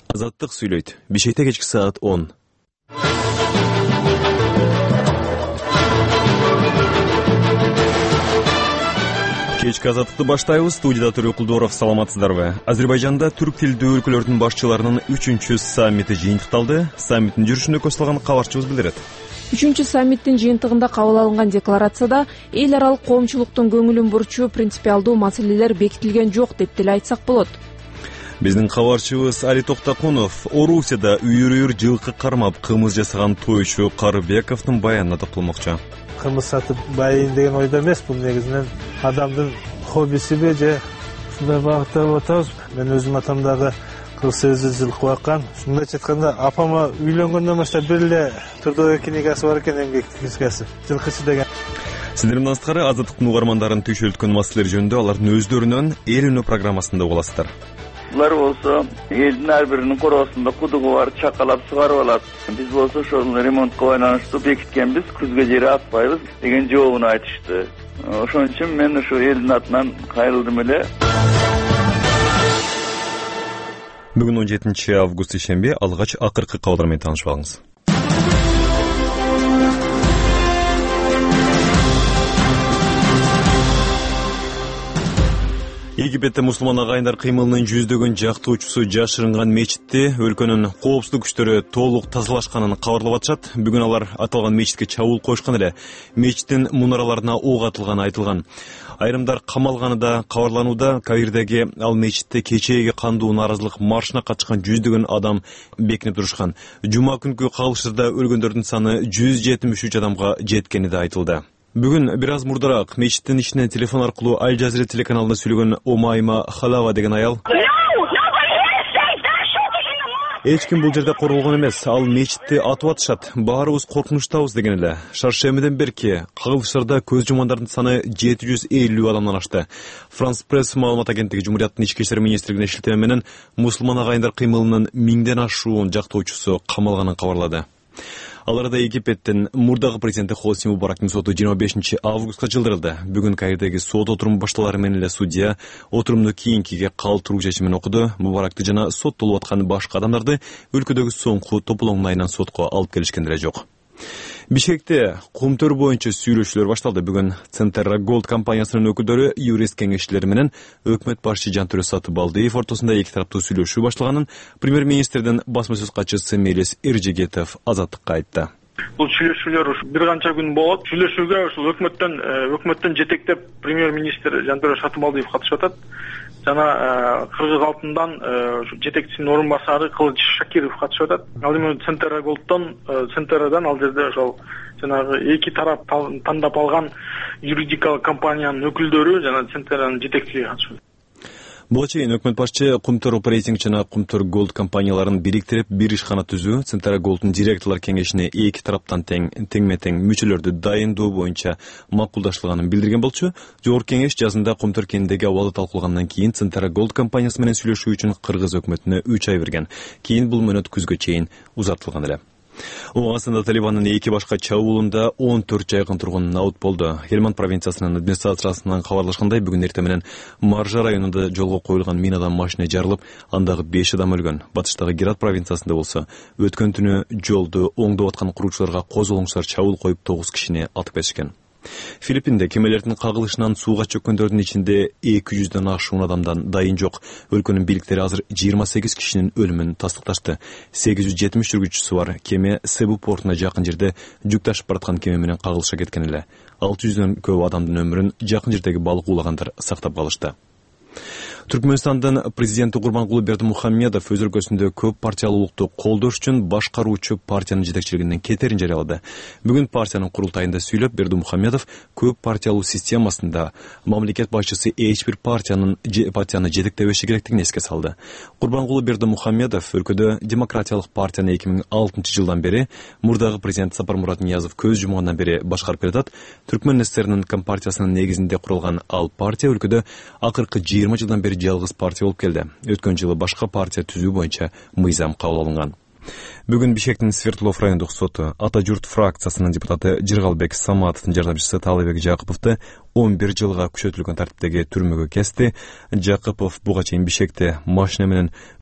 Азаттык сүйлөйт. Бишкекте кечки саат 10. Кечки азаттыкты баштайбыз. Студияда Төрө Кулдоров, саламатсыздарбы? Азербайжанда түрк тилдүү өлкөлөрдүн башчыларынын 3-чү саммити жыйынтыкталды. Саммиттин жүрүшүндө көз салган кабарчыбыз билдирет. 3-чү саммиттин жыйынтыгында кабыл алынган декларацияда эл аралык коомчулуктун көңүлүн бурчу принципиалдуу маселелер бекитилген жок деп деле айтсак болот. Биздин кабарчыбыз Али Токтакунов Орусияда үйүр жылкы кармап кымыз жасаган тойчу Карыбековдун баянына токтолмокчу. Кымыз сатып байыйын деген ойдо эмес, бул негизинен адамдын хоббисиби же ушундай багытта болуп атабыз. Мен өзүм атам дагы 48 жылкы баккан. Мындайча айтканда, апама үйлөнгөндөн баштап бир эле трудовой книгасы бар экен, эмгек книгасы, жылкычы деген. Сиздер менен тышкары азаттыктын угармандарын түйшөлткөн маселелер жөнүндө алардын өздөрүнөн эл үнү программасында уга аласыздар. Булар болсо элдин ар биринин короосунда кудугу бар, чакалап сугарып алат. Биз болсо ошол ремонтко байланыштуу бекиткенбиз, күзгө жери атпайбыз деген жообун айтышты. Ошон үчүн мен ушу элдин атынан кайрылдым эле. Бүгүн 17 август ишемби, алгач акыркы кабарлар менен таанышып алыңыз. Египетте мусулман агайындар кыймылынын жүздөгөн жактоочусу жашырынган мечитти өлкөнүн коопсуздук күчтөрү толук тазалашканын кабарлап атышат. Бүгүн алар аталган мечитке чабуул коюшкан эле. Мечиттин мунараларына ок атылганы айтылган. Айрымдар камалганы да кабарланууда. Каирдеги ал мечитте кечээги кандуу нааразылык маршына катышкан жүздөгөн адам бекинип турушкан. Жума күнкү кагылыштарда өлгөндөрдүн саны 173 адамга жеткени да айтылды. Бүгүн бир аз мурдараак мечиттин ичинен телефон аркылуу Аль Жазира телеканалына сүйлөгөн Омайма Халава деген аял эч ким бул жерде корголгон эмес, ал мечитти атып атышат, баарыбыз коркунучтабыз деген эле. Шаршембиден берки кагылыштарда көз жумгандардын саны 750 адамдан ашты. Франс пресс маалымат агенттиги Жумурияттын ички иштер министрлигине шилтеме менен мусулман агайындар кыймылынын 1000ден ашуун жактоочусу камалганын кабарлады. Аларда Египеттин мурдагы президенти Хосни Мубарактын соту 25 августка жылдырылды. Бүгүн Каирдеги сот отуруму башталары менен эле судья отурумду кийинкиге калтыруу чечимин окуду. Мубаракты жана соттолуп аткан башка адамдарды өлкөдөгү соңку тополоңдун айынан сотко алып келишкен деле жок. Бишкекте кумтөр боюнча сүйлөшүүлөр башталды. Бүгүн Центра Голд компаниясынын өкүлдөрү, юрист кеңешчилери менен өкмөт башчы Жантөрө Сатыбалдиев ортосунда эки тараптуу сүйлөшүү башталганын премьер-министрдин басма сөз катчысы Мелис Эржегетов Азаттыкка айтты. Бул сүйлөшүүлөр ушу бир канча күн болот. Сүйлөшүүгө ушул өкмөттөн жетектеп премьер-министр Жантөрө Сатыбалдиев катышып атат. Жана Кыргыз алтындан жетекчисинин орун басары Кылыч Шакиров катышып атат. Ал эми Центрадан ал жерде ошол жанагы эки тарап тандап алган юридикалык компаниянын өкүлдөрү жана Центранын жетекчилиги катышып атат. Буга чейин өкмөт башчы Кумтөр Оперейтинг жана Кумтөр Голд компанияларын бириктирип бир ишкана түзүү, Центра Голддун директорлор кеңешине эки тараптан теңме-тең мүчөлөрдү дайындоо боюнча макулдаштырганын билдирген болчу. Жогорку кеңеш жазында Кумтөр кенидеги абалды талкуулагандан кийин Центра Голд компаниясы менен сүйлөшүү үчүн Кыргыз өкмөтүнө 3 ай берген. Кийин бул мөөнөт күзгө чейин узартылган эле. Оңасында Талибандын эки башка чабуулунда 14 жайкын тургун наут болду. Хельманд провинциясынын администрациясынан кабарлашкандай, бүгүн эртең менен Маржа районунда жолго коюлган минадан машина жарылып, андагы 5 адам өлгөн. Батыштагы Герат провинциясында болсо өткөн түнү жолду оңдоп аткан куруучуларга козголоңчулар чабуул коюп 9 кишини атып кетишкен. Филиппинде кемелердин кагылышынан сууга чөккөндөрдүн ичинде 200дөн ашуун адамдан дайын жок. Өлкөнүн бийликтери азыр 28 кишинин өлүмүн тастыкташты. 870 жүргүзүүчүсү бар. Кеме Себу портуна жакын жерде жүк ташып бараткан кеме менен кагылышка кеткен эле. 600дөн көп адамдын өмүрүн жакын жердеги балык уулагандар сактап калышты. Түркмөнстандын президенти Курбангулы Бердимухамедов өз өлкөсүндө көп партиялуулукту колдош үчүн башкаруучу партиянын жетекчилигинен кетерин жарыялады. Бүгүн партиянын курултайында сүйлөп, Бердимухамедов көп партиялуу системасында мамлекет башчысы эч бир партияны жетектебеши керектигин эске салды. Курбангулы Бердимухамедов өлкөдө демократиялык партияны 2006 жылдан бери, мурдагы президент Сапармурат Ниязов көз жумгандан бери башкарып келатат. Түркмөн ССРнын компартиясынын негизинде курулган ал партия өлкөдө акыркы 20 жылдан бери жалгыз партия болуп келди. Өткөн жылы башка партия түзүү боюнча мыйзам кабыл алынган. Бүгүн Бишкектин Свердлов райондук соту Ата журт фракциясынын депутаты Жыргалбек Саматовдун жардамчысы Таалайбек Жакыповду 11 жылга күчөтүлгөн тартиптеги түрмөгө кести. Жакыпов буга чейин Бишкекте машина менен